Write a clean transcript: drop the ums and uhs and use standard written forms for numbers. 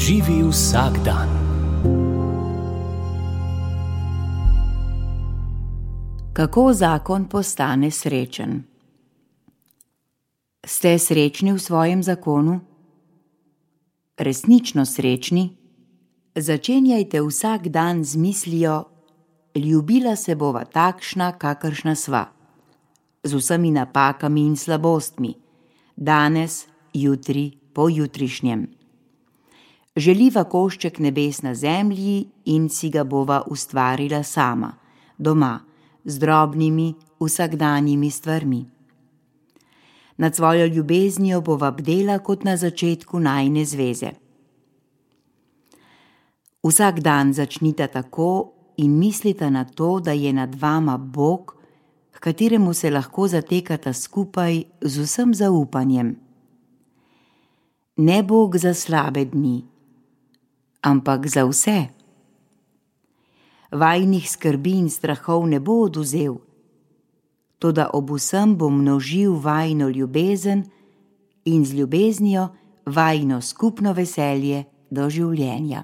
Živi vsak dan. Kako zakon postane srečen? Ste srečni v svojem zakonu? Resnično srečni? Začenjajte vsak dan z mislijo: ljubila se bova takšna, kakršna sva, z vsemi napakami in slabostmi, danes, jutri, pojutrišnjem. Želiva košček nebes na zemlji in si ga bova ustvarila sama, doma, z drobnimi, vsakdanjimi stvarmi. Nad svojo ljubeznijo bova bdela kot na začetku najine zveze. Vsak dan začnita tako in mislita na to, da je nad vama Bog, h kateremu se lahko zatekata skupaj z vsem zaupanjem. Ne Bog za slabe dni, ampak za vse. Vajinih skrbi in strahov ne bo oduzel, toda ob vsem bo množil vajino ljubezen in z ljubeznijo vajino skupno veselje do življenja.